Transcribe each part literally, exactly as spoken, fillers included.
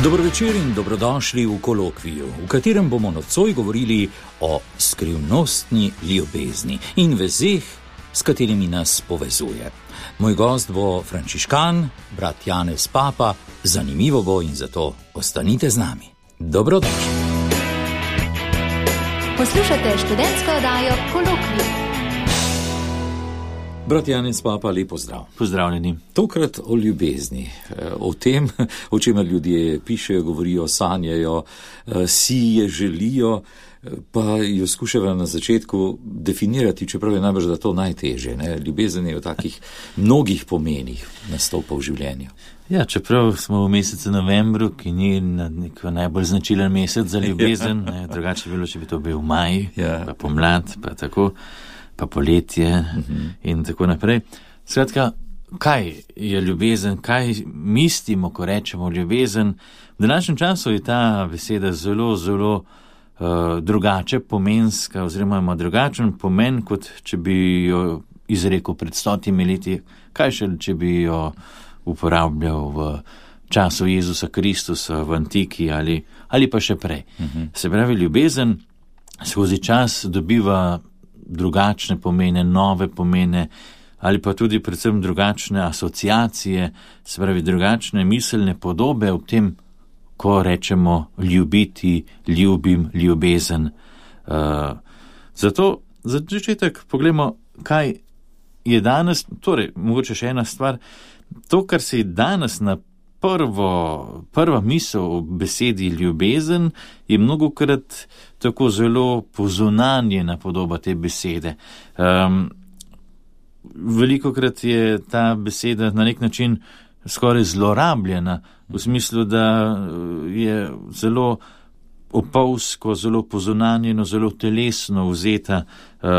Dobro večer in dobrodošli v kolokviju, v katerem bomo nocoj govorili o skrivnostni ljubezni in vezeh, s katerimi nas povezuje. Moj gost bo frančiškan, brat Janez Papa. Zanimivo bo in zato ostanite z nami. Dobrodošli. Poslušate študentsko oddajo Kolokvij. Brat Janez Papa, lep pozdrav. Pozdravljeni. Tokrat o ljubezni, o tem, o čemer ljudje pišejo, govorijo, sanjajo, si je želijo, pa jo skušajo na začetku definirati, čeprav je najbrž da to najtežje. Ne? Ljubezen je v takih mnogih pomenih nastopa v življenju. Ja, čeprav smo v mesecu novembru, ki ni neko najbolj značilen mesec za ljubezen, ne, drugače bilo, če bi to bil maj, ja. Pa pomlad, pa tako, pa poletje uh-huh. in tako naprej. Skratka, kaj je ljubezen, kaj mislimo, ko rečemo ljubezen? V današnjem času je ta beseda zelo, zelo uh, drugače, pomenska, oziroma ima drugačen pomen, kot če bi jo izrekel pred stotimi leti, kaj še, če bi jo uporabljal v času Jezusa Kristusa v antiki ali, ali pa še prej. Uh-huh. Se pravi, ljubezen skozi čas dobiva drugačne pomene, nove pomene ali pa tudi predvsem drugačne asociacije, se pravi drugačne miselne podobe ob tem, ko rečemo ljubiti, ljubim, ljubezen. Uh, zato za začetek pogledamo, kaj je danes, torej mogoče še ena stvar. To, kar se je danes na prvo, prva misel o besedi ljubezen, je mnogokrat tako zelo pozunanjena podoba te besede. Um, velikokrat je ta beseda na nek način skoraj zlorabljena, v smislu, da je zelo opolsko, zelo pozunanjeno, zelo telesno vzeta, uh,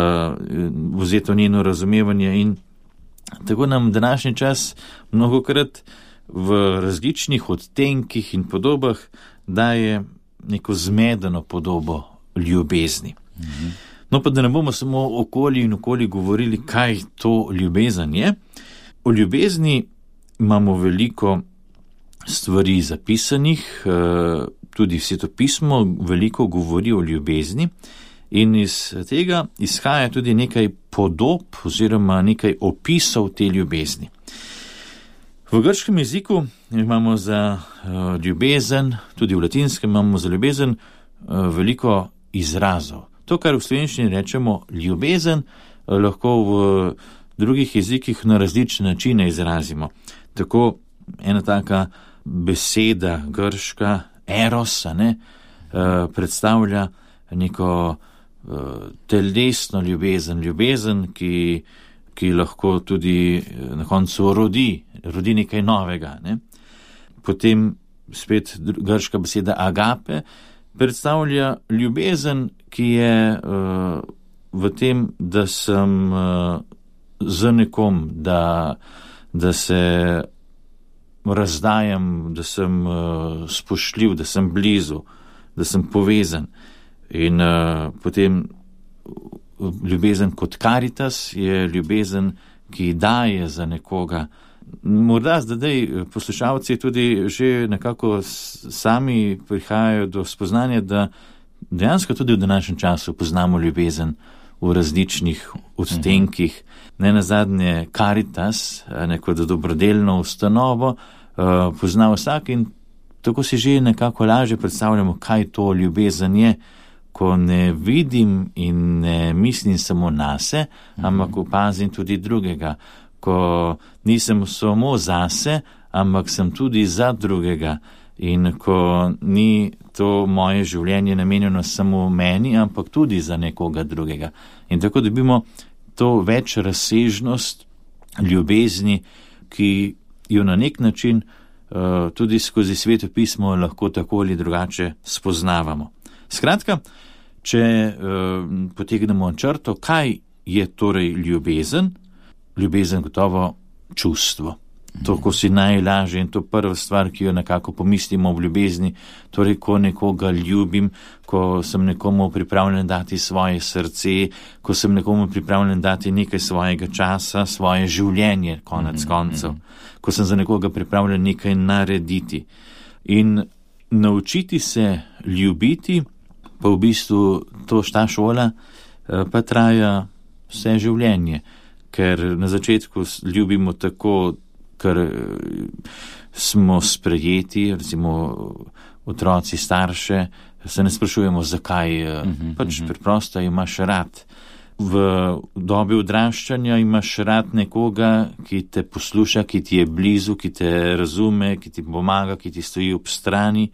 vzeto njeno razumevanje in tako nam današnji čas mnogokrat v različnih odtenkih in podobah daje neko zmedeno podobo ljubezni. Mm-hmm. No pa da ne bomo samo okoli in okoli govorili, kaj to ljubezen je. O ljubezni imamo veliko stvari zapisanih, tudi Sveto pismo veliko govori o ljubezni. In iz tega izhaja tudi nekaj podob oziroma nekaj opisov te ljubezni. V grškem jeziku imamo za uh, ljubezen, tudi v latinskem imamo za ljubezen uh, veliko izrazov. To, kar v slovenščini rečemo ljubezen, uh, lahko v drugih jezikih na različne načine izrazimo. Tako ena taka beseda grška, eros, ne, uh, predstavlja neko telesno ljubezen, ljubezen, ki, ki lahko tudi na koncu rodi, rodi nekaj novega. Ne? Potem spet grška beseda agape predstavlja ljubezen, ki je uh, v tem, da sem uh, z nekom, da, da se razdajam, da sem uh, spoštljiv, da sem blizu, da sem povezan. In uh, potem ljubezen kot karitas je ljubezen, ki daje za nekoga. Morda zdaj poslušalci tudi že nekako sami prihajajo do spoznanja, da dejansko tudi v današnjem času poznamo ljubezen v različnih odtenkih. Ne nazadnje karitas, neko dobrodelno ustanovo, uh, pozna vsak in tako si že nekako lažje predstavljamo, kaj to ljubezen je, ko ne vidim in ne mislim samo nase, ampak opazim tudi drugega. Ko nisem samo zase, ampak sem tudi za drugega. In ko ni to moje življenje namenjeno samo meni, ampak tudi za nekoga drugega. In tako dobimo to več razsežnost ljubezni, ki jo na nek način uh, tudi skozi Sveto pismo lahko tako ali drugače spoznavamo. Skratka, če uh, potegnemo črto, kaj je torej ljubezen? Ljubezen gotovo čustvo. To, ko si najlažje in to prva stvar, ki jo nekako pomislimo v ljubezni, torej, ko nekoga ljubim, ko sem nekomu pripravljen dati svoje srce, ko sem nekomu pripravljen dati nekaj svojega časa, svoje življenje, konec mm-hmm. koncev, ko sem za nekoga pripravljen nekaj narediti. In naučiti se ljubiti, pa v bistvu to ta šola, pa traja vse življenje, ker na začetku ljubimo tako, ker smo sprejeti, recimo otroci, starše, se ne sprašujemo, zakaj, uh-huh, pač uh-huh. preprosto imaš rad. V dobi odraščanja imaš rad nekoga, ki te posluša, ki ti je blizu, ki te razume, ki ti pomaga, ki ti stoji ob strani.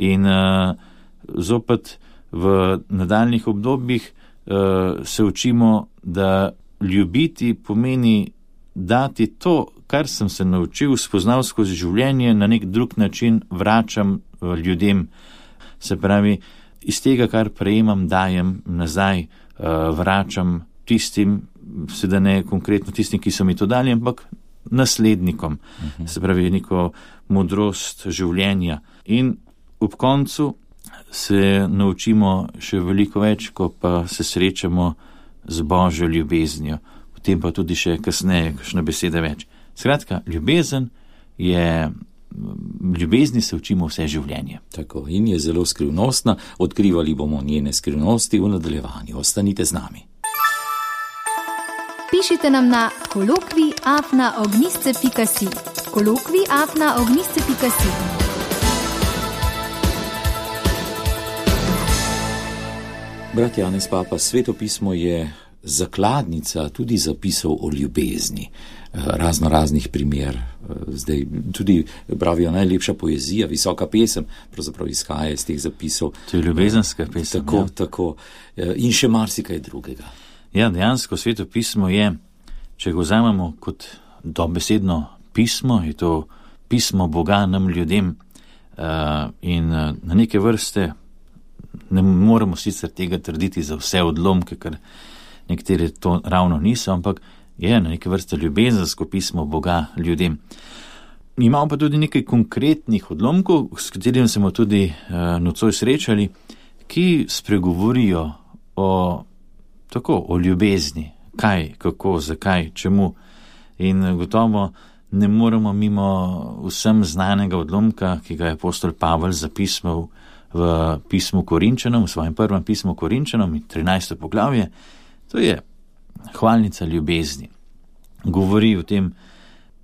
In uh, zopet v nadaljnih obdobjih uh, se učimo, da ljubiti pomeni dati to, kar sem se naučil, spoznal skozi življenje, na nek drug način vračam ljudem. Se pravi, iz tega, kar prejemam, dajem nazaj, vračam tistim, seveda ne konkretno tistim, ki so mi to dali, ampak naslednikom. Uh-huh. Se pravi, neko modrost življenja. In ob koncu se naučimo še veliko več, ko pa se srečamo z Božjo ljubeznijo. V tem pa tudi še kasneje, kakšna beseda več. Skratka, ljubezen je, ljubezni se učimo vse življenje. Tako, in je zelo skrivnostna, odkrivali bomo njene skrivnosti v nadaljevanju. Ostanite z nami. Pišite nam na kolokvij afna ognjišče pika si. kolokvij afna ognjišče pika si. Brat Janez Papa, Sveto pismo je zakladnica tudi zapisov o ljubezni, razno raznih primer. Zdaj tudi pravijo najlepša poezija, visoka pesem, pravzaprav izhaja iz teh zapisov. To je ljubezenska pesem. Tako, ja. tako. In še marsikaj drugega. Ja, dejansko Sveto pismo je, če ga vzamemo kot dobesedno pismo, je to pismo Boga nam ljudem in na neke vrste ne moremo sicer tega trditi za vse odlomke, ker nekateri to ravno niso, ampak je na neke vrste ljubezensko pismo Boga ljudem. Imamo pa tudi nekaj konkretnih odlomkov, s katerimi smo tudi uh, nocoj srečali, ki spregovorijo o, tako, o ljubezni, kaj, kako, zakaj, čemu. In gotovo ne moremo mimo vsem znanega odlomka, ki ga je apostol Pavel zapisal v pismu Korinčanom, v svojem prvem pismu Korinčanom, trinajsto poglavje. To je hvalnica ljubezni. Govori o tem,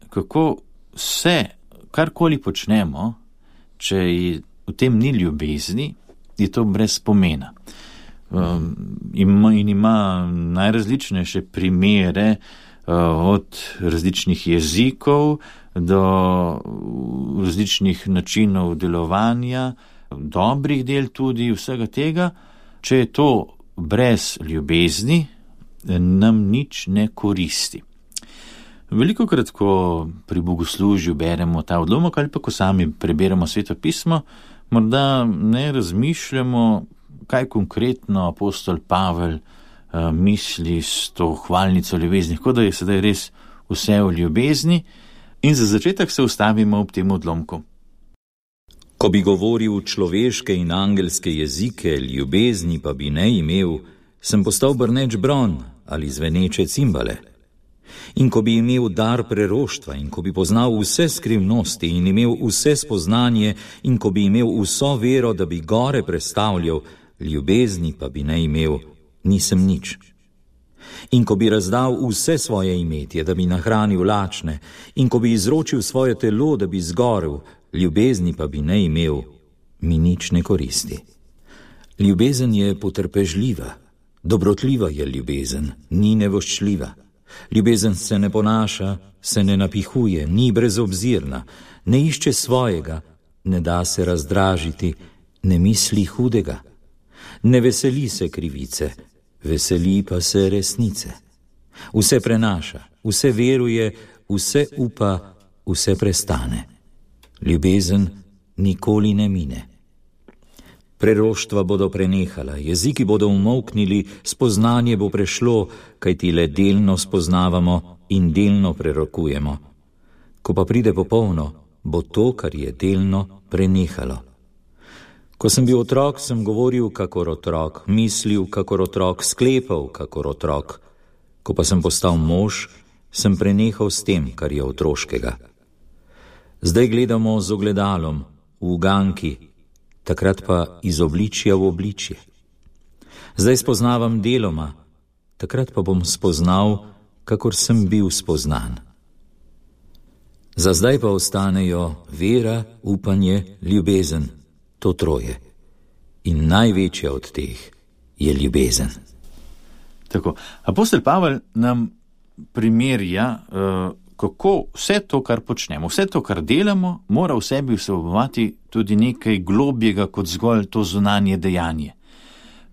kako vse, karkoli počnemo, če v tem ni ljubezni, je to brez pomena. Um, in ima najrazličnejše primere uh, od različnih jezikov do različnih načinov delovanja, dobrih del tudi vsega tega. Če je to brez ljubezni, nam nič ne koristi. Velikokrat, ko pri bogoslužju beremo ta odlomek ali pa ko sami preberemo Sveto pismo, morda ne razmišljamo, kaj konkretno apostol Pavel uh, misli s to hvalnico ljubezni, kot da je sedaj res vse o ljubezni, in za začetek se ustavimo ob tem odlomku. Ko bi govoril človeške in angelske jezike, ljubezni pa bi ne imel, sem postal brneč bron ali zveneče cimbale. In ko bi imel dar preroštva in ko bi poznal vse skrivnosti in imel vse spoznanje in ko bi imel vso vero, da bi gore prestavljal, ljubezni pa bi ne imel, nisem nič. In ko bi razdal vse svoje imetje, da bi nahranil lačne, in ko bi izročil svoje telo, da bi zgorel, ljubezni pa bi ne imel, mi nič ne koristi. Ljubezen je potrpežljiva, dobrotljiva je ljubezen, ni nevoščljiva. Ljubezen se ne ponaša, se ne napihuje, ni brezobzirna, ne išče svojega, ne da se razdražiti, ne misli hudega. Ne veseli se krivice, veseli pa se resnice. Vse prenaša, vse veruje, vse upa, vse prestane. Ljubezen nikoli ne mine. Preroštva bodo prenehala, jeziki bodo umolknili, spoznanje bo prešlo, kajti le delno spoznavamo in delno prerokujemo. Ko pa pride popolno, bo to, kar je delno, prenehalo. Ko sem bil otrok, sem govoril kakor otrok, mislil kakor otrok, sklepal kakor otrok. Ko pa sem postal mož, sem prenehal s tem, kar je otroškega. Zdaj gledamo z ogledalom, v uganki, takrat pa iz obličja v obličje. Zdaj spoznavam deloma, takrat pa bom spoznal, kakor sem bil spoznan. Za zdaj pa ostanejo vera, upanje, ljubezen, to troje. In največja od teh je ljubezen. Tako. Apostol Pavel nam primerja, kako vse to, kar počnemo, vse to, kar delamo, mora v sebi vsebovati tudi nekaj globjega kot zgolj to zunanje dejanje.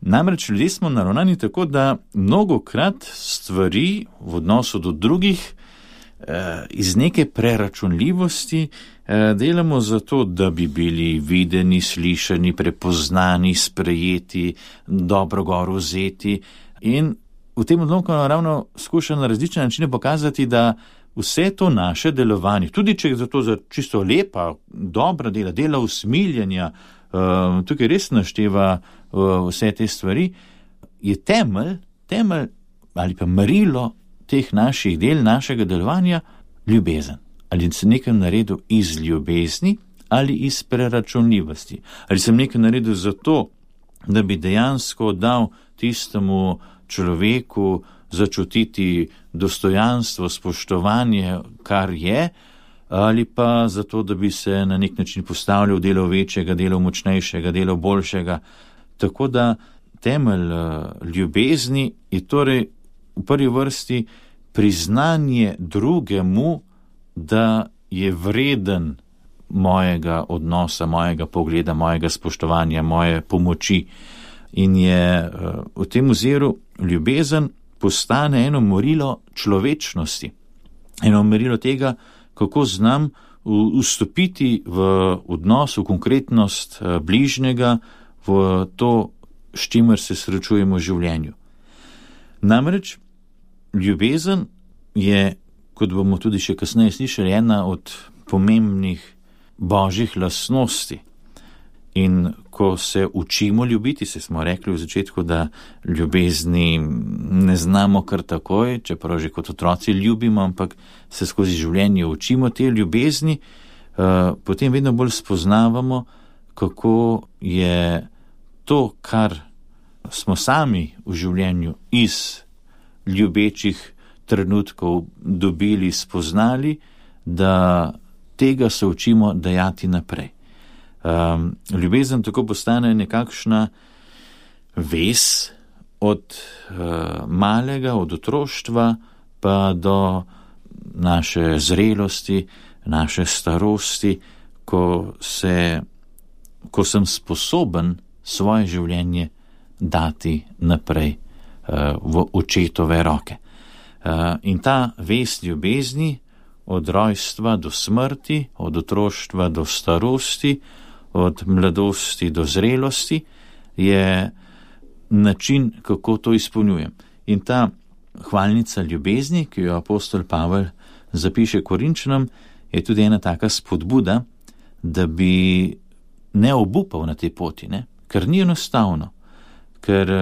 Namreč ljudje smo naravnani tako, da mnogokrat stvari v odnosu do drugih iz neke preračunljivosti delamo zato, da bi bili videni, slišani, prepoznani, sprejeti, dobro gor vzeti. In v tem odlomku naravno skuša na različne načine pokazati, da vse to naše delovanje, tudi če je zato za čisto lepa, dobra dela, dela usmiljanja, tukaj res našteva vse te stvari, je temelj, temelj ali pa merilo teh naših del, našega delovanja, ljubezen. Ali sem nekaj naredil iz ljubezni ali iz preračunljivosti. Ali sem nekaj naredil zato, da bi dejansko dal tistemu človeku začutiti dostojanstvo, spoštovanje, kar je, ali pa zato, da bi se na nek način postavljal delo večjega, delo močnejšega, delo boljšega. Tako da temelj ljubezni je torej v prvi vrsti priznanje drugemu, da je vreden mojega odnosa, mojega pogleda, mojega spoštovanja, moje pomoči. In je v tem oziru ljubezen postane eno merilo človečnosti, eno merilo tega, kako znam vstopiti v odnos, v konkretnost bližnjega, v to, s čimer se srečujemo v življenju. Namreč ljubezen je, kot bomo tudi še kasneje slišali, ena od pomembnih božjih lastnosti. In ko se učimo ljubiti, se smo rekli v začetku, da ljubezni ne znamo kar takoj, čeprav že kot otroci ljubimo, ampak se skozi življenje učimo te ljubezni, potem vedno bolj spoznavamo, kako je to, kar smo sami v življenju iz ljubečih trenutkov dobili, spoznali, da tega se učimo dajati naprej. Um, ljubezen tako postane nekakšna vez od uh, malega, od otroštva pa do naše zrelosti, naše starosti, ko, se, ko sem sposoben svoje življenje dati naprej uh, v očetove roke. Uh, in ta vez ljubezni od rojstva do smrti, od otroštva do starosti, od mladosti do zrelosti, je način, kako to izpolnjujem. In ta hvalnica ljubezni, ki jo apostol Pavel zapiše Korinčanom, je tudi ena taka spodbuda, da bi ne obupal na tej poti, ne? Ker ni enostavno, ker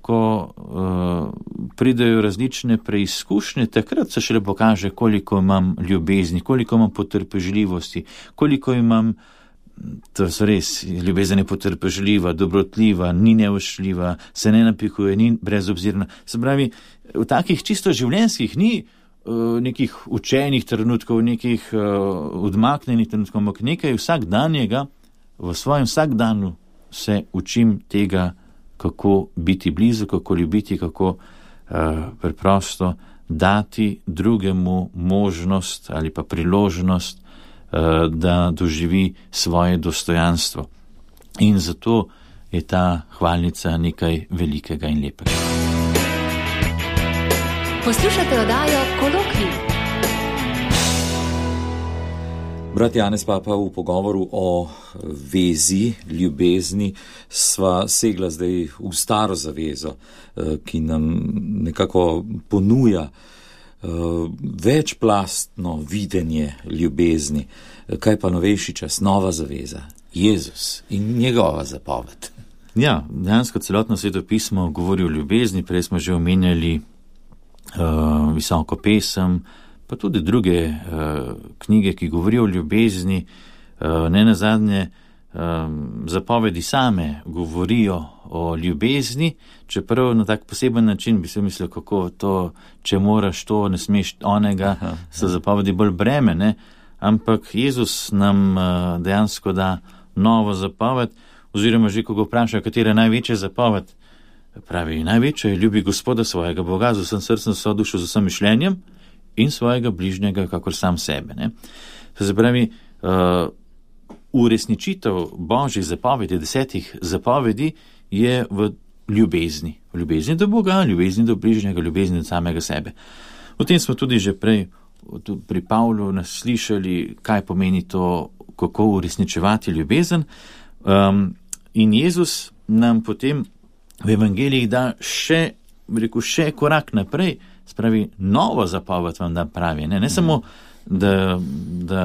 ko uh, pridejo različne preizkušnje, takrat se šele pokaže, koliko imam ljubezni, koliko imam potrpežljivosti, koliko imam, to so res, ljubezen je potrpežljiva, dobrotljiva, ni neušljiva, se ne napihuje, ni brezobzirna. Se pravi, v takih čisto življenjskih ni uh, nekih učenih trenutkov, nekih uh, odmaknenih trenutkov, ampak nekaj vsakdanjega, v svojem vsakdanu se učim tega, kako biti blizu, kako ljubiti, kako uh, preprosto dati drugemu možnost ali pa priložnost, uh, da doživi svoje dostojanstvo. In zato je ta hvalnica nekaj velikega in lepega. Poslušate oddajo Kolokvij. Brat Janez Papa, v pogovoru o vezi, ljubezni, sva segla zdaj v staro zavezo, ki nam nekako ponuja večplastno videnje ljubezni. Kaj pa novejši čas, nova zaveza, Jezus in njegova zapoved. Ja, dejansko celotno Sveto pismo govori o ljubezni, prej smo že omenjali uh, visoko pesem, pa tudi druge uh, knjige, ki govorijo o ljubezni, uh, ne nazadnje um, zapovedi same govorijo o ljubezni, čeprav na tak poseben način bi se mislil, kako to, če moraš to, ne smeš onega, aha, so zapovedi bolj breme, ne? Ampak Jezus nam uh, dejansko da novo zapoved, oziroma že, ko ga vpraša, katera je največja zapoved, pravi, največja je ljubi Gospoda svojega Boga z vsem srcem, svojo dušo, z vsem mišljenjem in svojega bližnjega, kakor sam sebe. Ne? To se pravi, uh, uresničitev Božjih zapovedi, desetih zapovedi, je v ljubezni. V ljubezni do Boga, ljubezni do bližnjega, ljubezni do samega sebe. O tem smo tudi že prej pri Pavlu nas slišali, kaj pomeni to, kako uresničevati ljubezen. Um, in Jezus nam potem v evangelijih da še, rekel, še korak naprej, spravi novo zapoved vam da pravi. Ne, ne samo, da, da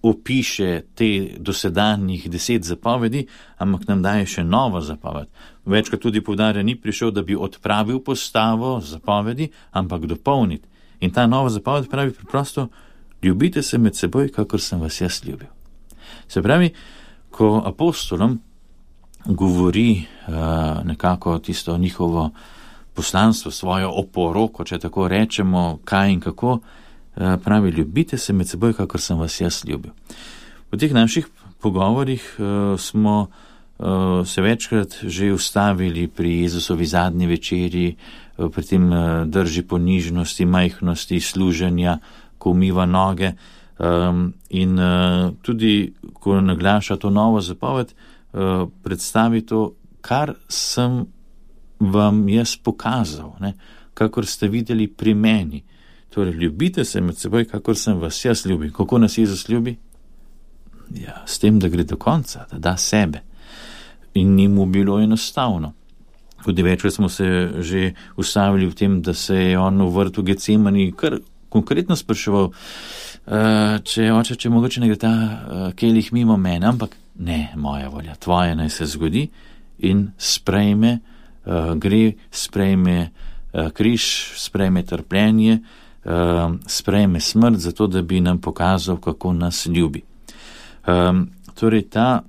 opiše te dosedanjih deset zapovedi, ampak nam daje še novo zapoved. Večkrat tudi poudarja, ni prišel, da bi odpravil postavo zapovedi, ampak dopolniti. In ta nova zapoved pravi preprosto, ljubite se med seboj, kakor sem vas jaz ljubil. Se pravi, ko apostolom govori uh, nekako tisto njihovo poslanstvo, svojo oporoko, če tako rečemo, kaj in kako, uh, pravi, ljubite se med seboj, kakor sem vas jaz ljubil. V teh naših pogovorih uh, smo uh, se večkrat že ustavili pri Jezusovi zadnji večeri, uh, pri tem uh, drži ponižnosti, majhnosti, služenja, ko umiva noge. Um, in uh, tudi, ko naglaša to novo zapoved, uh, predstavi to, kar sem vam jaz pokazal, ne? Kakor ste videli pri meni. Torej, ljubite se med seboj, kakor sem vas jaz ljubil. Kako nas Jezus ljubi? Ja, s tem, da gre do konca, da da sebe. In ni mu bilo enostavno. Tudi večkrat smo se že ustavili v tem, da se je on v vrtu Getsemani kar konkretno spraševal, Uh, če oče, če mogoče ne gre ta uh, kelih mimo mene, ampak ne, moja volja, tvoja naj se zgodi, in sprejme, uh, gre, sprejme uh, križ, sprejme trpljenje, uh, sprejme smrt, zato da bi nam pokazal, kako nas ljubi. Um, torej ta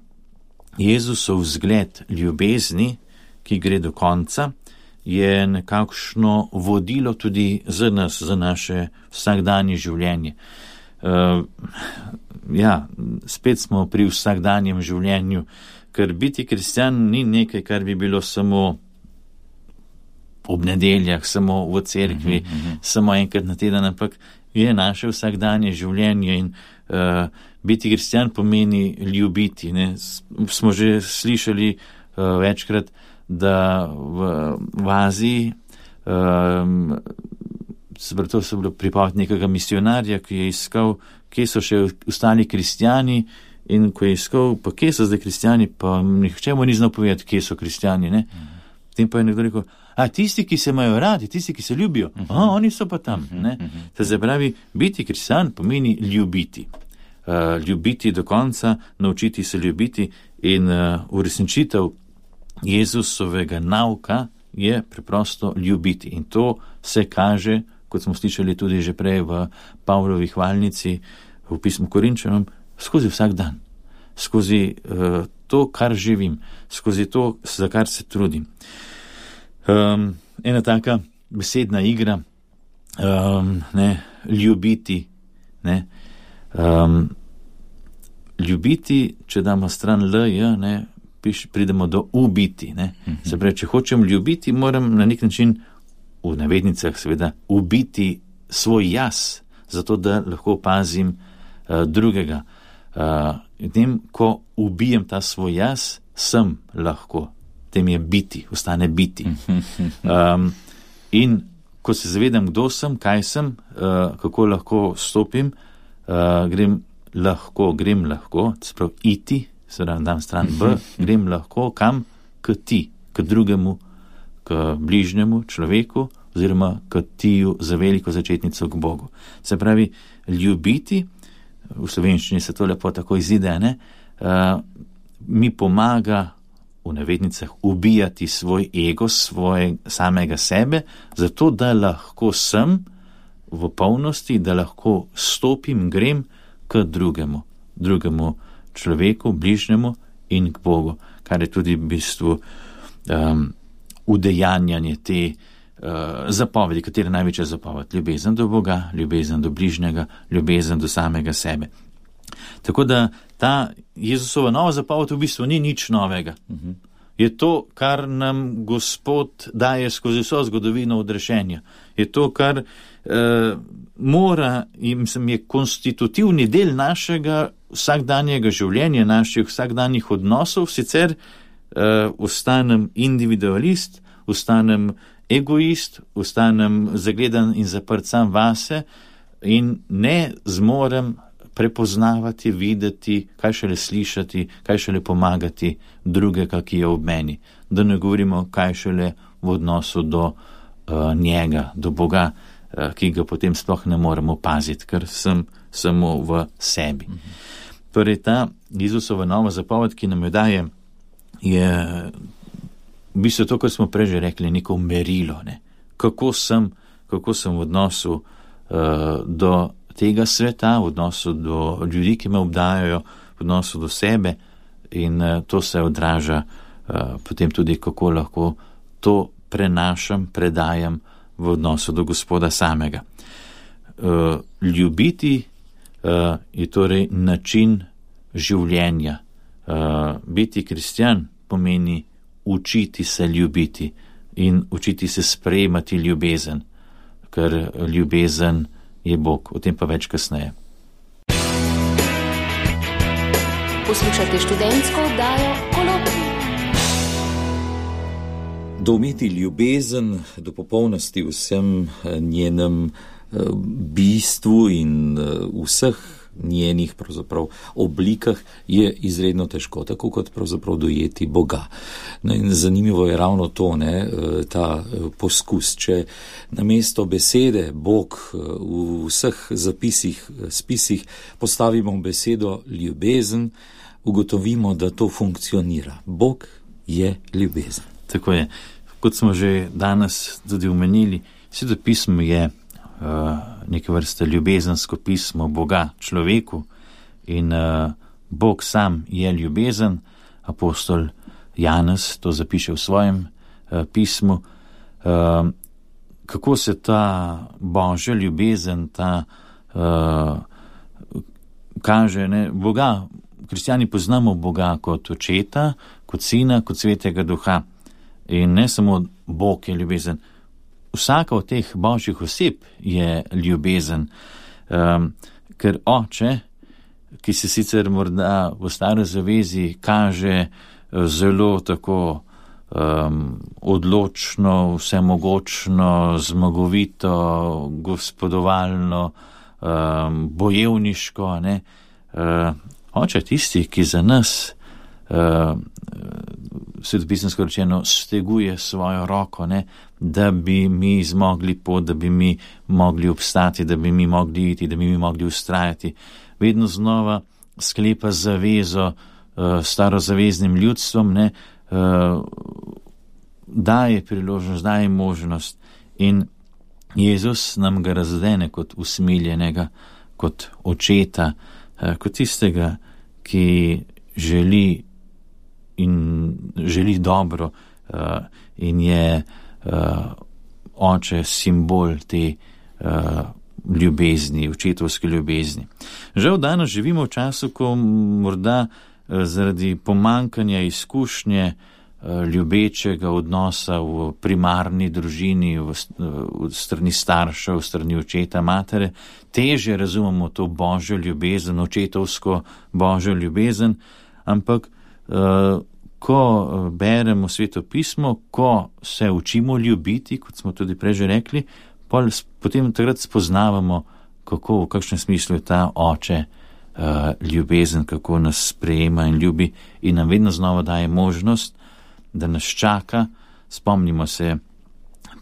Jezusov vzgled ljubezni, ki gre do konca, je nekakšno vodilo tudi za nas, za naše vsakdanje življenje. Uh, ja, spet smo pri vsakdanjem življenju, ker biti kristjan ni nekaj, kar bi bilo samo ob nedeljah, samo v cerkvi, uh-huh, uh-huh. samo enkrat na teden, ampak je naše vsakdanje življenje in uh, biti kristjan pomeni ljubiti. Ne? Smo že slišali uh, večkrat, da v, v Aziji um, to so bilo pripoved nekega misionarja, ki je iskal, kje so še ostali kristjani, in ko je iskal, pa kje so zdaj kristjani, pa nihče mu ni znal povedati, kje so kristjani. Ne? Uh-huh. Potem pa je nekdo rekel, a tisti, ki se imajo radi, tisti, ki se ljubijo, uh-huh. a, oni so pa tam. Uh-huh. Ne? Uh-huh. To se pravi, biti kristjan pomeni ljubiti. Uh, ljubiti do konca, naučiti se ljubiti in uh, uresničitev Jezusovega nauka je preprosto ljubiti. In to se kaže, kot smo slišali tudi že prej v Pavlovi hvalnici, v pismu Korinčanom, skozi vsak dan, skozi uh, to, kar živim, skozi to, za kar se trudim. Um, ena taka besedna igra, um, ne, ljubiti, ne, um, ljubiti, če damo stran L, J, ne, piš, pridemo do ubiti, ne. Mm-hmm. Se pravi, če hočem ljubiti, moram na nek način, v navednicah seveda, ubiti svoj jaz, zato da lahko opazim uh, drugega. Uh, in tem, ko ubijem ta svoj jaz, sem lahko, tem je biti, ostane biti. Um, in ko se zavedam, kdo sem, kaj sem, uh, kako lahko stopim, uh, grem lahko, grem lahko, sprav iti, se pravi, dam stran B, grem lahko kam? K ti, k drugemu, k bližnjemu človeku, oziroma k tiju za veliko začetnico k Bogu. Se pravi, ljubiti, v slovenščini se to lepo tako izide, ne, uh, mi pomaga v navednicah ubijati svoj ego, svoj samega sebe, zato da lahko sem v polnosti, da lahko stopim, grem k drugemu, drugemu človeku, bližnjemu in k Bogu, kar je tudi v bistvu um, udejanjanje te uh, zapovedi, katera je največja zapoved, ljubezen do Boga, ljubezen do bližnjega, ljubezen do samega sebe. Tako da ta Jezusova nova zapoved v bistvu ni nič novega. Uh-huh. Je to, kar nam Gospod daje skozi vso zgodovino odrešenja. Je to, kar eh, mora in mislim, je konstitutivni del našega vsakdanjega življenja, naših vsakdanjih odnosov, sicer eh, ostanem individualist, ostanem egoist, ostanem zagledan in zaprt sam vase in ne zmorem prepoznavati, videti, kaj šele slišati, kaj šele pomagati drugega, ki je ob meni. Da ne govorimo, kaj šele v odnosu do uh, njega, do Boga, uh, ki ga potem sploh ne moremo paziti, ker sem samo v sebi. Mhm. Torej, ta Jezusova nova zapoved, ki nam jo daje, je v bistvu to, kar smo prej že rekli, neko merilo, ne? Kako sem, kako sem v odnosu uh, do tega sveta, v odnosu do ljudi, ki me obdajajo, v odnosu do sebe in uh, to se odraža uh, potem tudi, kako lahko to prenašam, predajam v odnosu do Gospoda samega. Uh, ljubiti uh, je torej način življenja. Uh, biti kristjan pomeni učiti se ljubiti in učiti se sprejemati ljubezen, ker ljubezen je Bog, o tem pa več kasneje. Poslušate študentsko oddajo Kolokvij. Doumeti ljubezen do popolnosti v vsem njenem bistvu in vseh njenih pravzaprav oblikah je izredno težko, tako kot pravzaprav dojeti Boga. No in zanimivo je ravno to, ne, ta poskus, če namesto besede Bog v vseh zapisih, spisih postavimo besedo ljubezen, ugotovimo, da to funkcionira. Bog je ljubezen. Tako je. Kot smo že danes tudi omenili, Sveto pismo je Uh, neke vrste ljubezensko pismo Boga človeku in uh, Bog sam je ljubezen. Apostol Janez to zapiše v svojem uh, pismu. Uh, kako se ta Božja ljubezen, ta uh, kaže, ne? Boga, kristjani poznamo Boga kot očeta, kot sina, kot svetega duha in ne samo Bog je ljubezen. Vsaka od teh božjih oseb je ljubezen, um, ker oče, ki se sicer morda v stari zavezi kaže zelo tako um, odločno, vsemogočno, zmagovito, gospodovalno, um, bojevniško, ne? Uh, oče tisti, ki za nas uh, svetopisemsko rečeno steguje svojo roko, ne, da bi mi zmogli pot, da bi mi mogli obstati, da bi mi mogli iti, da bi mi mogli ustrajati. Vedno znova sklepa zavezo uh, starozaveznim ljudstvom, ne, uh, daje priložnost, daje možnost in Jezus nam ga razdene kot usmiljenega, kot očeta, uh, kot tistega, ki želi in želi dobro uh, in je uh, oče simbol te uh, ljubezni, očetovske ljubezni. Žal danes živimo v času, ko morda uh, zaradi pomankanja izkušnje uh, ljubečega odnosa v primarni družini, v, v strani staršev, v strani očeta, matere, težje razumemo to božjo ljubezen, očetovsko božjo ljubezen, ampak Uh, ko beremo Sveto pismo, ko se učimo ljubiti, kot smo tudi prej že rekli, pol, potem takrat spoznavamo, kako, v kakšnem smislu je ta oče uh, ljubezen, kako nas sprejema in ljubi in nam vedno znova daje možnost, da nas čaka. Spomnimo se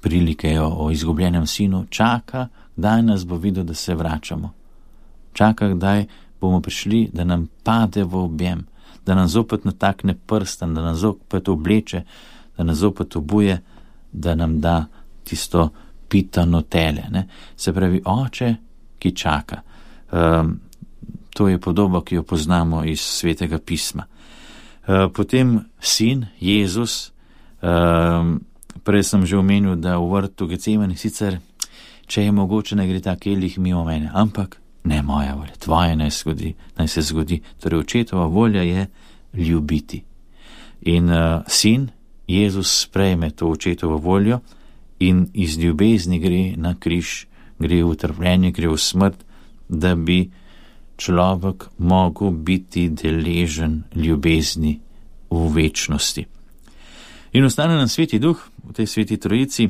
prilike o, o izgubljenem sinu, čaka, kdaj nas bo videl, da se vračamo. Čaka, kdaj bomo prišli, da nam pade v objem, da nam zopet natakne prstan, da nam zopet obleče, da nam zopet obuje, da nam da tisto pitano tele. Ne? Se pravi, oče, ki čaka. Um, to je podoba, ki jo poznamo iz Svetega pisma. Uh, potem sin, Jezus, um, prej sem že omenil, da v vrtu Getsemani sicer, če je mogoče, ne gre ta kelih mimo mene, ampak ne moja volja, tvoja naj, zgodi, naj se zgodi. Torej, očetova volja je ljubiti. In uh, sin, Jezus, sprejme to očetovo voljo in iz ljubezni gre na križ, gre v trpljenje, gre v smrt, da bi človek mogel biti deležen ljubezni v večnosti. In ostane nam Sveti Duh v tej Sveti Trojici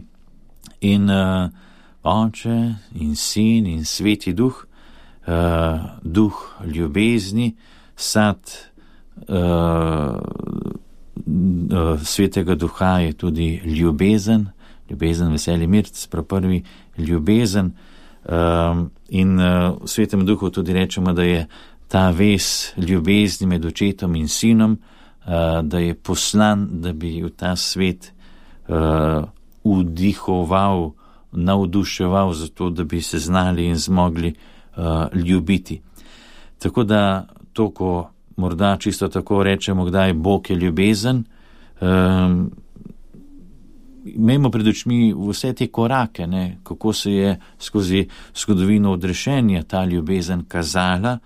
in uh, Oče in Sin in Sveti Duh, uh, duh ljubezni, sad uh, uh, Svetega Duha je tudi ljubezen, ljubezen, veselje, mir, sprav prvi ljubezen. Um, in uh, v Svetem Duhu tudi rečemo, da je ta vez ljubezni med očetom in sinom, uh, da je poslan, da bi v ta svet uh, vdihoval, navduševal za to, da bi se znali in zmogli uh, ljubiti. Tako da to, ko morda čisto tako rečemo, kdaj Bog je ljubezen, um, imamo pred očmi vse te korake, ne, kako se je skozi zgodovino odrešenja ta ljubezen kazala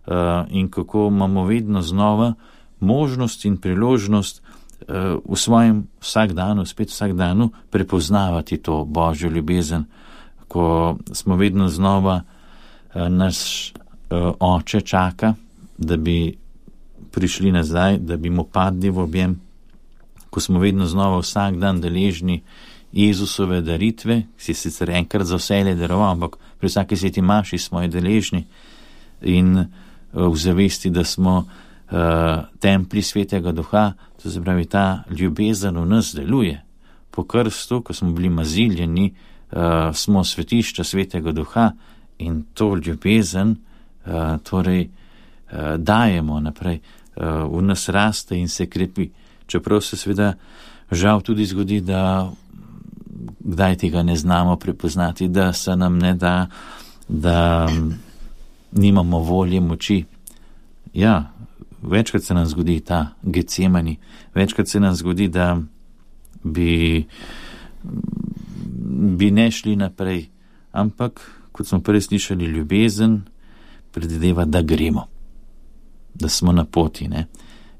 uh, in kako imamo vedno znova možnost in priložnost uh, v svojem vsakdanu, spet vsakdanu, prepoznavati to Božjo ljubezen, ko smo vedno znova uh, naš uh, oče čaka, da bi prišli nazaj, da bi mu padli v objem, ko smo vedno znova vsak dan deležni Jezusove daritve, ki si sicer enkrat za vselej daroval, ampak pri vsaki sveti maši smo je deležni in uh, v zavesti, da smo uh, templi Svetega Duha, to se pravi, ta ljubezen v nas deluje. Po krstu, ko smo bili maziljeni, uh, smo svetišča Svetega Duha in to ljubezen uh, torej uh, dajemo naprej, uh, v nas raste in se krepi. Čeprav se seveda žal tudi zgodi, da kdaj tega ne znamo prepoznati, da se nam ne da, da nimamo volje, moči. Ja, večkrat se nam zgodi ta Getsemani, večkrat se nam zgodi, da bi, bi ne šli naprej, ampak, kot smo prej slišali, ljubezen predvideva, da gremo, da smo na poti, ne?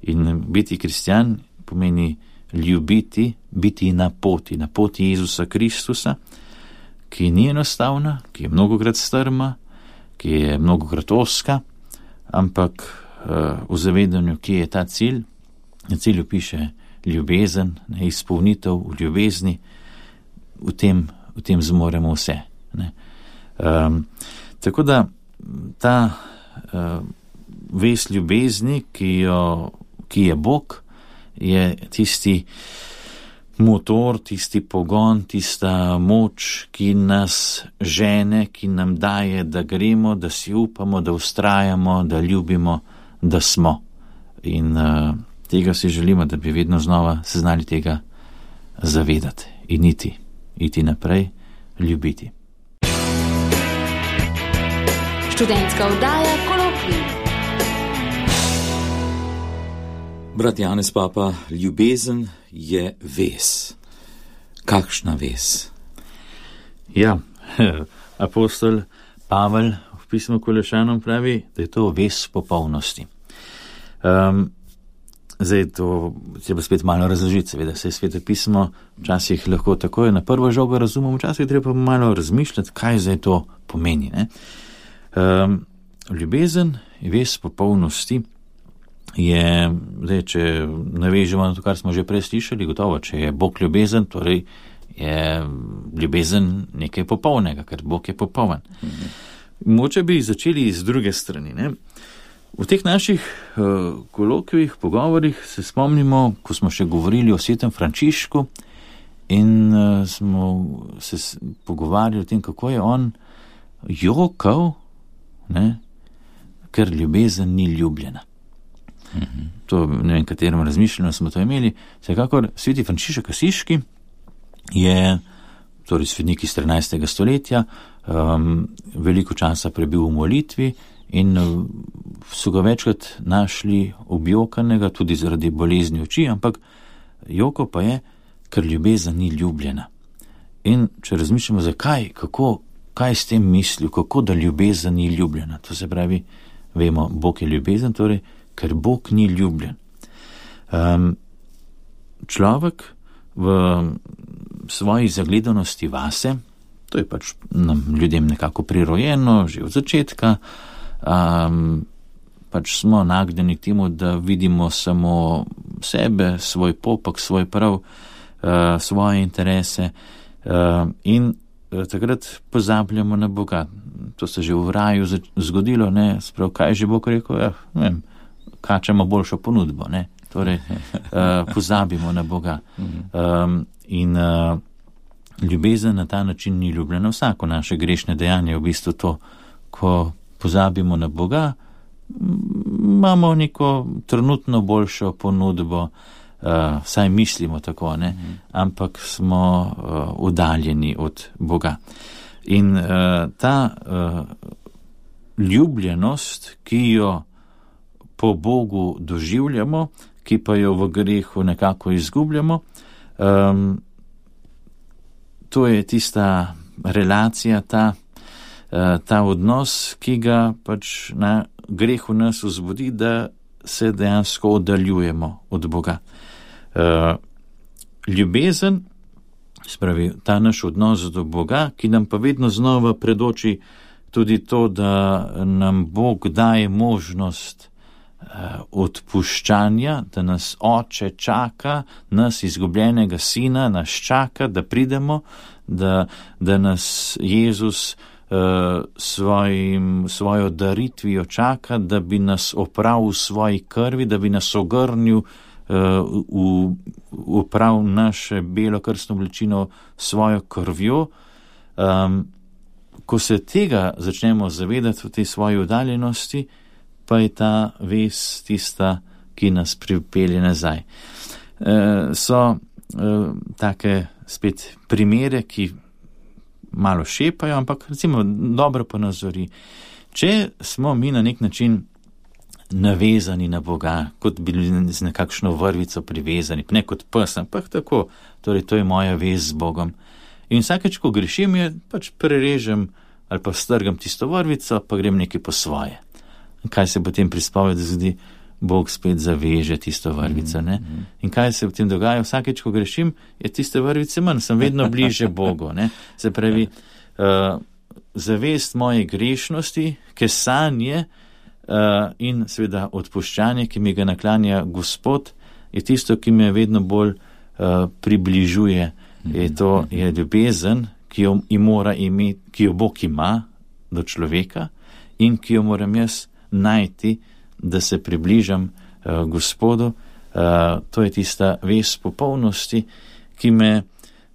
In biti kristjan pomeni ljubiti, biti na poti, na poti Jezusa Kristusa, ki ni enostavna, ki je mnogokrat strma, ki je mnogokrat oska, ampak uh, v zavedanju, ki je ta cilj, na cilju piše ljubezen, ne, izpolnitev v ljubezni, v tem, v tem zmoremo vse. Ne. Um, tako da ta uh, vez ljubezni, ki, jo, ki je Bog, je tisti motor, tisti pogon, tista moč, ki nas žene, ki nam daje, da gremo, da si upamo, da ustrajamo, da ljubimo, da smo. In uh, tega si želimo, da bi vedno znova se znali tega zavedati in iti, iti naprej, ljubiti. Študentska oddaja Kolokvij. Brat Janez Papa, ljubezen je vez. Kakšna vez? Ja, apostol Pavel v pismu Kolešanom pravi, da je to vez popolnosti. Um, zdaj to treba spet malo razložiti, seveda se je Sveto pismo včasih lahko takoj na prvo žogo razumemo, včasih treba malo razmišljati, kaj zdaj to pomeni. Ne? Um, ljubezen je vez popolnosti. Je, zdaj, če navežemo na to, kar smo že prej slišali, gotovo, če je Bog ljubezen, torej je ljubezen nekaj popolnega, ker Bog je popoln. Mhm. Moče bi začeli z druge strani. Ne? V teh naših uh, kolokvijih, pogovorih se spomnimo, ko smo še govorili o svetem Frančišku in uh, smo se pogovarjali o tem, kako je on jokal, ne, ker ljubezen ni ljubljena. Mm-hmm. To, ne vem, katerem razmišljanju smo to imeli. Vsekakor, sveti Frančišek Asiški je, torej svetnik iz trinajstega stoletja, um, veliko časa prebil v molitvi in so ga večkrat našli objokanega, tudi zaradi bolezni oči, ampak joko pa je, ker ljubezen ni ljubljena. In če razmišljamo, zakaj, kako, kaj s tem mislil, kako da ljubezen ni ljubljena, to se pravi, vemo, Bog je ljubezen, torej, ker Bog ni ljubljen. Um, človek v svoji zagledanosti vase, to je pač nam ljudem nekako prirojeno, že od začetka, um, pač smo nagnjeni k temu, da vidimo samo sebe, svoj popek, svoj prav, uh, svoje interese uh, in uh, takrat pozabljamo na Boga. To se že v raju zgodilo, ne, sprav, kaj je že Bog rekel, ja, ne vem, kačemo boljšo ponudbo, ne, torej uh, pozabimo na Boga. Um, in uh, ljubezen na ta način ni ljubljena. Vsako naše grešne dejanje je v bistvu to, ko pozabimo na Boga, imamo neko trenutno boljšo ponudbo, uh, saj mislimo tako, ne, ampak smo uh, udaljeni od Boga. In uh, ta uh, ljubljenost, ki jo po Bogu doživljamo, ki pa jo v grehu nekako izgubljamo, um, to je tista relacija, ta, uh, ta odnos, ki ga pač na grehu nas vzbudi, da se dejansko oddaljujemo od Boga. Uh, ljubezen, spravi, ta naš odnos do Boga, ki nam pa vedno znova predoči tudi to, da nam Bog daje možnost odpuščanja, da nas Oče čaka, nas izgubljenega sina nas čaka, da pridemo, da, da nas Jezus uh, svojim, svojo daritvijo čaka, da bi nas opravil v svoji krvi, da bi nas ogrnil uh, v, v prav naše belo krstno oblečino svojo krvjo. Um, ko se tega začnemo zavedati v tej svoji oddaljenosti, pa je ta vez tista, ki nas pripelje nazaj. E, so e, take spet primere, ki malo šepajo, ampak recimo dobro ponazori. Če smo mi na nek način navezani na Boga, kot bi z nekakšno vrvico privezani, ne kot pes, ampak tako, torej to je moja vez z Bogom. In vsakeč, ko grešim, je pač prerežem ali pa strgam tisto vrvico, pa grem nekaj po svoje. Kaj se potem pri spovedi zgodi? Bog spet zaveže tisto vrvico, ne? In kaj se potem dogaja? Vsakeč, ko grešim, je tiste vrvice manj, sem vedno bliže Bogu, ne? Se pravi, uh, zavest moje grešnosti, kesanje uh, in seveda odpuščanje, ki mi ga naklanja Gospod, je tisto, ki me vedno bolj uh, približuje. Je to je ljubezen, ki jo, mora imeti, ki jo Bog ima do človeka in ki jo moram jaz najti, da se približam uh, Gospodu. Uh, to je tista vez popolnosti, ki me,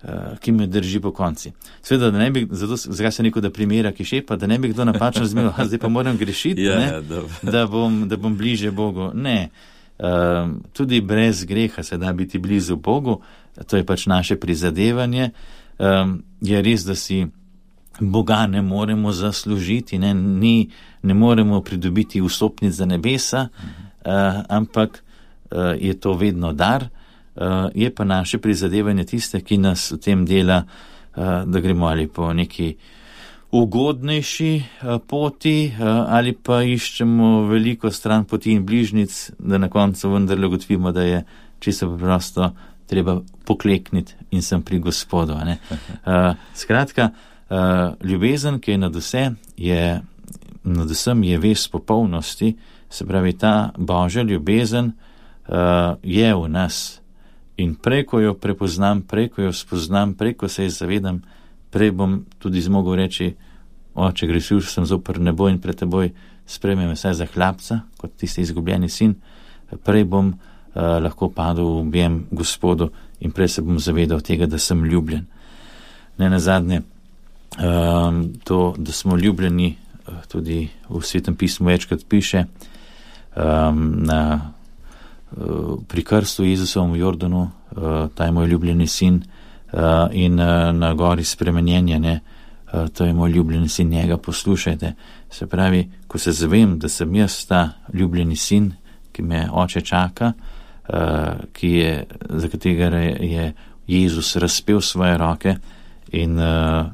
uh, ki me drži po konci. Sveda, da ne bi, zato zakaj se neko da primera, ki šepa, da ne bi kdo napačno razumel, zdaj pa moram grešiti, ja, ne, da, bom, da bom bliže Bogu. Ne, uh, tudi brez greha se da biti blizu Bogu, to je pač naše prizadevanje. Um, je res, da si Boga ne moremo zaslužiti, ne, ni, ne moremo pridobiti vstopnic za nebesa, uh, ampak uh, je to vedno dar, uh, je pa naše prizadevanje tiste, ki nas v tem dela, uh, da gremo ali po neki ugodnejši uh, poti, uh, ali pa iščemo veliko stran poti in bližnic, da na koncu vendarle ugotovimo, da je čisto preprosto treba poklekniti in sem pri Gospodu. Ne? Uh, skratka, Uh, ljubezen, ki je nad vse, je, nad vsem je vez popolnosti, se pravi, ta Božja ljubezen uh, je v nas in preko jo prepoznam, preko jo spoznam, preko se je zavedam, prej bom tudi zmogel reči, Oče, grešil sem zoper nebo in pred teboj, sprejmi me vsaj za hlapca, kot tisti izgubljeni sin, prej bom uh, lahko padel v objem Gospodu in prej se bom zavedal tega, da sem ljubljen. Ne nazadnje, um, to, da smo ljubljeni, tudi v Svetem pismu večkrat piše, um, na, uh, pri krstu Jezusovem v Jordanu, uh, ta je moj ljubljeni sin, uh, in uh, na gori spremenjenja, ne, uh, to je moj ljubljeni sin, njega poslušajte. Se pravi, ko se zavem, da sem jaz ta ljubljeni sin, ki me oče čaka, uh, ki je, za katerega je Jezus razpel svoje roke, in uh,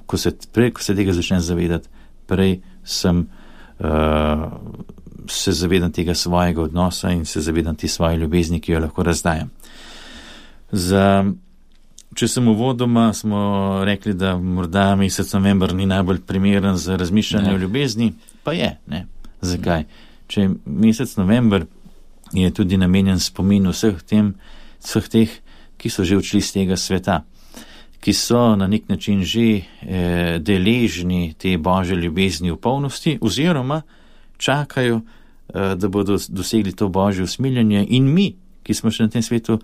ko se, prej, ko se tega začnem zavedati, prej sem, uh, se zavedam tega svojega odnosa in se zavedam te svoje ljubezni, ki jo lahko razdajam. Za, če sem uvodoma, smo rekli, da morda mesec november ni najbolj primeren za razmišljanje o ljubezni, pa je, ne. Zakaj? Če mesec november je tudi namenjen spominu vseh, tem, vseh teh, ki so že odšli z tega sveta, ki so na nek način že eh, deležni te Božje ljubezni v polnosti, oziroma čakajo, eh, da bodo dosegli to Božje usmiljenje, in mi, ki smo še na tem svetu,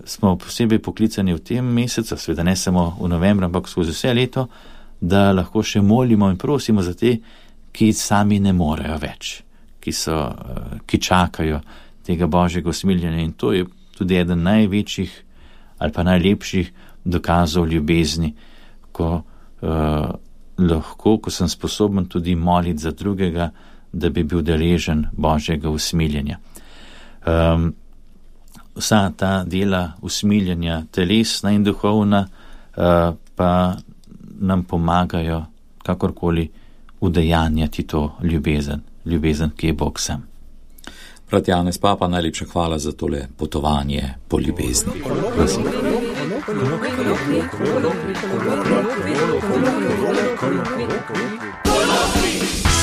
smo posebej poklicani v tem mesecu, seveda ne samo v novembru, ampak skozi vse leto, da lahko še molimo in prosimo za te, ki sami ne morejo več, ki, so, eh, ki čakajo tega Božjega usmiljenja, in to je tudi eden največjih ali pa najlepših dokazov ljubezni, ko uh, lahko, ko sem sposoben tudi moliti za drugega, da bi bil deležen Božjega usmiljenja. Um, vsa ta dela usmiljenja, telesna in duhovna, uh, pa nam pomagajo kakorkoli udejanjati to ljubezen, ljubezen, ki je Bog sam. Brat Janez Papa, najlepša hvala za tole potovanje po ljubezni. Prosim. Kolokvij.